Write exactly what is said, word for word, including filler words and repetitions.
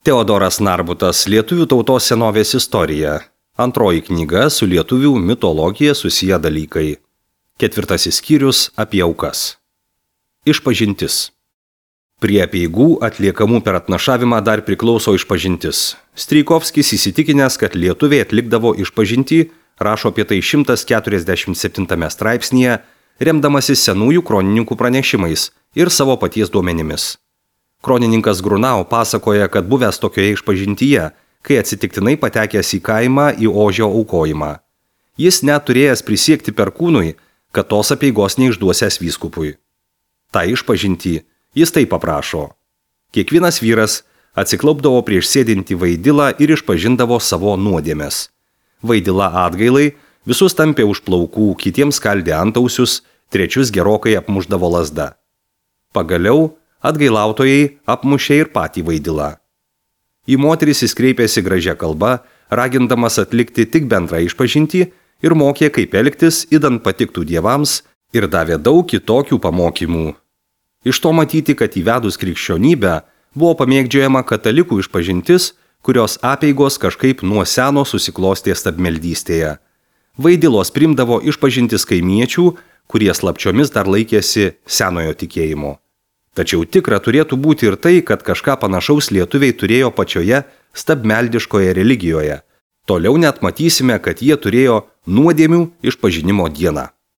Teodoras Narbutas, Lietuvių tautos senovės istorija. Antroji knyga su lietuvių mitologija susiję dalykai. Ketvirtasis skyrius apie aukas. Išpažintis. Prie apeigų atliekamų per atnašavimą dar priklauso išpažintis. Strijkovskis įsitikinęs, kad lietuviai atlikdavo išpažintį, rašo apie tai šimtas keturiasdešimt septintame straipsnyje, remdamasis senųjų kronininkų pranešimais ir savo paties duomenimis. Kronininkas Grunau pasakoja, kad buvęs tokioje išpažintyje, kai atsitiktinai patekęs į kaimą į ožio aukojimą. Jis net turėjęs prisiekti perkūnui, kad tos apeigos neišduosęs vyskupui. Ta išpažintį jis taip paprašo. Kiekvienas vyras atsiklaupdavo prieš sėdintį vaidilą ir išpažindavo savo nuodėmes. Vaidila atgailai visus tampė už plaukų, kitiems skaldė antausius, trečius gerokai apmušdavo lazda. Pagaliau atgailautojai apmušė ir patį vaidilą. Į moteris jis kreipėsi gražia kalba, ragindamas atlikti tik bendrą išpažintį ir mokė, kaip elgtis, idant patiktų dievams, ir davė daug kitokių pamokymų. Iš to matyti, kad įvedus krikščionybę buvo pamėgdžiojama katalikų išpažintis, kurios apeigos kažkaip nuo seno susiklostė stabmeldystėje. Vaidilos primdavo išpažintis kaimiečių, kurie slapčiomis dar laikėsi senojo tikėjimo. Tačiau tikra turėtų būti ir tai, kad kažką panašaus lietuviai turėjo pačioje stabmeldiškoje religijoje. Toliau net matysime, kad jie turėjo nuodėmių išpažinimo dieną.